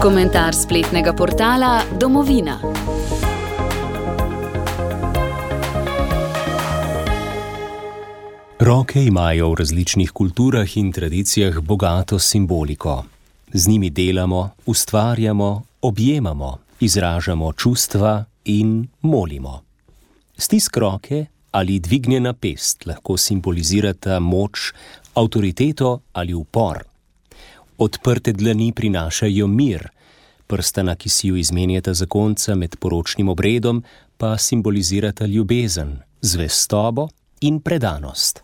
Komentar spletnega portala Domovina. Roke imajo v različnih kulturah in tradicijah bogato simboliko. Z njimi delamo, ustvarjamo, objemamo, izražamo čustva in molimo. Stisk roke ali dvignjena pest lahko simbolizirata moč, avtoriteto ali upor. Odprte dlani prinašajo mir, prstana, ki si ju izmenjata zakonca med poročnim obredom, pa simbolizirata ljubezen, zvestobo in predanost.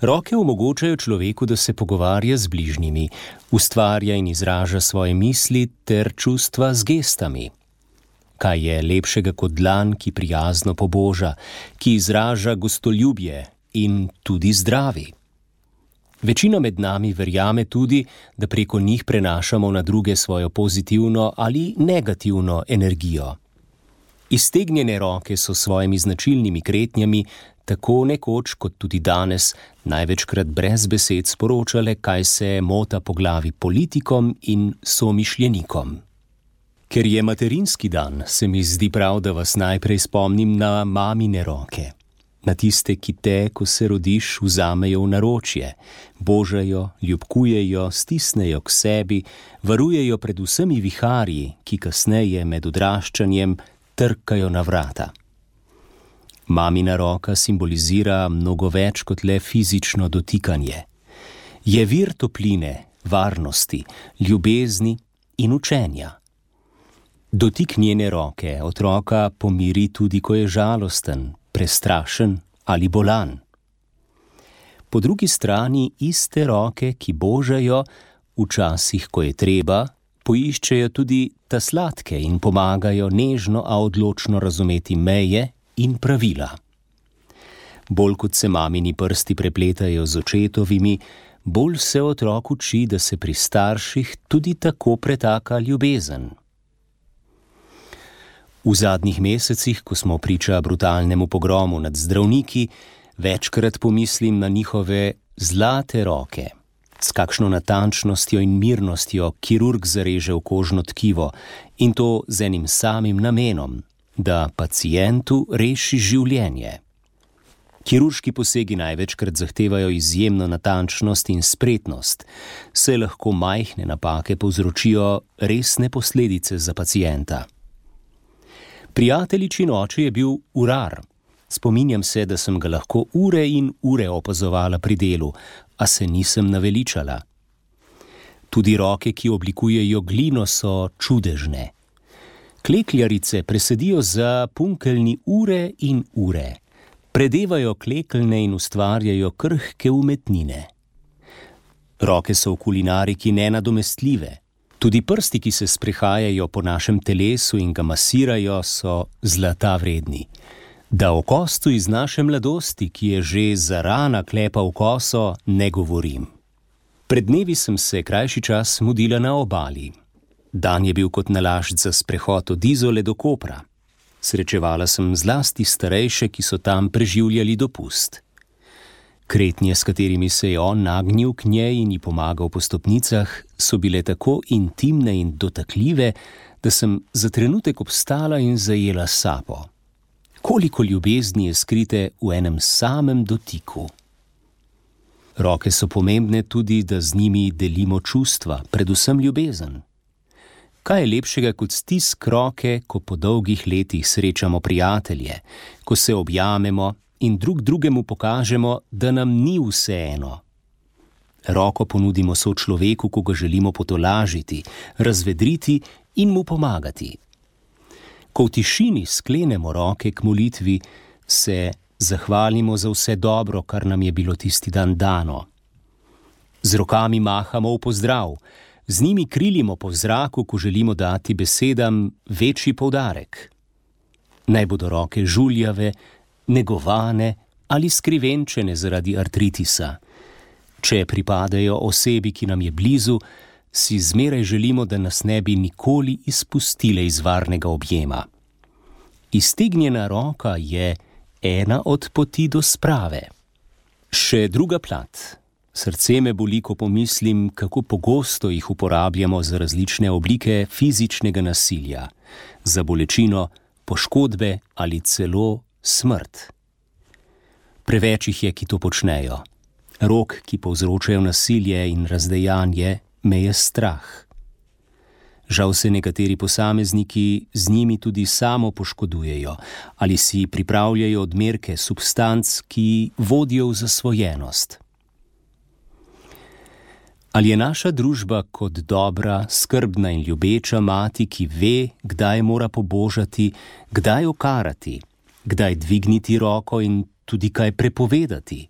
Roke omogočajo človeku, da se pogovarja z bližnjimi, ustvarja in izraža svoje misli ter čustva z gestami. Kaj je lepšega kot dlan, ki prijazno poboža, ki izraža gostoljubje in tudi zdravi? Večina med nami verjame tudi, da preko njih prenašamo na druge svojo pozitivno ali negativno energijo. Iztegnjene roke so s svojimi značilnimi kretnjami tako nekoč kot tudi danes največkrat brez besed sporočale, kaj se mota po glavi politikom in somišljenikom. Ker je materinski dan, se mi zdi prav, da vas najprej spomnim na mamine roke. Na tiste, ki te, ko se rodiš, vzamejo v naročje, božajo, ljubkujejo, stisnejo k sebi, varujejo pred vsemi viharji, ki kasneje med odraščanjem trkajo na vrata. Mamina roka simbolizira mnogo več kot le fizično dotikanje. Je vir topline, varnosti, ljubezni in učenja. Dotik njene roke otroka pomiri tudi, ko je žalosten, prestrašen ali bolan. Po drugi strani iste roke, ki božajo, včasih, ko je treba, poiščejo tudi ta sladke in pomagajo nežno, a odločno razumeti meje in pravila. Bolj kot se mamini prsti prepletajo z očetovimi, bolj se otrok uči, da se pri starših tudi tako pretaka ljubezen. V zadnjih mesecih, ko smo priča brutalnemu pogromu nad zdravniki, večkrat pomislim na njihove zlate roke. S kakšno natančnostjo in mirnostjo kirurg zareže v kožno tkivo in to z enim samim namenom, da pacientu reši življenje. Kirurški posegi največkrat zahtevajo izjemno natančnost in spretnost, saj lahko majhne napake povzročijo resne posledice za pacienta. Prijateljičin oče je bil urar. Spominjam se, da sem ga lahko ure in ure opazovala pri delu, a se nisem naveličala. Tudi roke, ki oblikujejo glino, so čudežne. Klekljarice presedijo za punkeljni ure in ure. Predevajo klekeljne in ustvarjajo krhke umetnine. Roke so v kulinariki nenadomestljive. Tudi prsti, ki se sprehajajo po našem telesu in ga masirajo, so zlata vredni. Da o kostu iz naše mladosti, ki je že zarana klepal koso, ne govorim. Pred dnevi sem se krajši čas mudila na obali. Dan je bil kot nalašč za sprehod od Izole do Kopra. Srečevala sem zlasti starejše, ki so tam preživljali dopust. Kretnje, s katerimi se je on nagnil k njej in ji pomagal po stopnicah, so bile tako intimne in dotakljive, da sem za trenutek obstala in zajela sapo. Koliko ljubezni je skrite v enem samem dotiku. Roke so pomembne tudi, da z njimi delimo čustva, predvsem ljubezen. Kaj je lepšega kot stisk roke, ko po dolgih letih srečamo prijatelje, ko se objamemo in drug drugemu pokažemo, da nam ni vseeno. Roko ponudimo sočloveku, ko ga želimo potolažiti, razvedriti in mu pomagati. Ko v tišini sklenemo roke k molitvi, se zahvalimo za vse dobro, kar nam je bilo tisti dan dano. Z rokami mahamo v pozdrav, z njimi krilimo po zraku, ko želimo dati besedam večji poudarek. Naj bodo roke žuljave, negovane ali skrivenčene zaradi artritisa. Če pripadajo osebi, ki nam je blizu, si zmeraj želimo, da nas ne bi nikoli izpustile iz varnega objema. Iztegnjena roka je ena od poti do sprave. Še druga plat. Srce me boli, ko pomislim, kako pogosto jih uporabljamo za različne oblike fizičnega nasilja, za bolečino, poškodbe ali celo smrt. Preveč jih je, ki to počnejo. Rok, ki povzročajo nasilje in razdejanje, me je strah. Žal se nekateri posamezniki z njimi tudi samo poškodujejo ali si pripravljajo odmerke substanc, ki vodijo v zasvojenost. Ali je naša družba kot dobra, skrbna in ljubeča mati, ki ve, kdaj mora pobožati, kdaj okarati, kdaj dvigniti roko in tudi kaj prepovedati?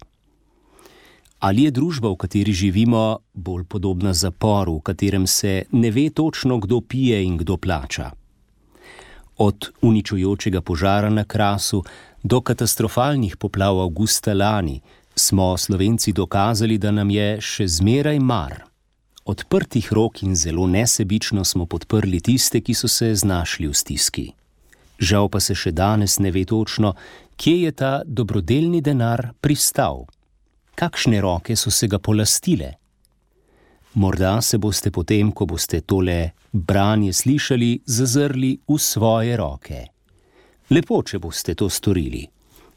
Ali je družba, v kateri živimo, bolj podobna zaporu, v katerem se ne ve točno, kdo pije in kdo plača? Od uničujočega požara na Krasu do katastrofalnih poplav avgusta lani smo Slovenci dokazali, da nam je še zmeraj mar. Odprtih rok in zelo nesebično smo podprli tiste, ki so se znašli v stiski. Žal pa se še danes ne ve točno, kje je ta dobrodelni denar pristal. Kakšne roke so se ga polastile? Morda se boste potem, ko boste tole branje slišali, zazrli v svoje roke. Lepo, če boste to storili.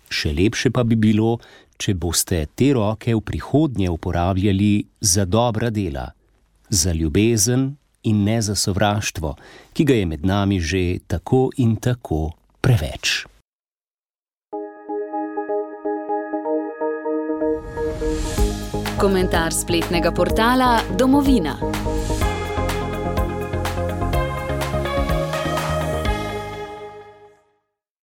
Še lepše pa bi bilo, če boste te roke v prihodnje uporabljali za dobra dela, za ljubezen in ne za sovraštvo, ki ga je med nami že tako in tako preveč. Komentar spletnega portala Domovina.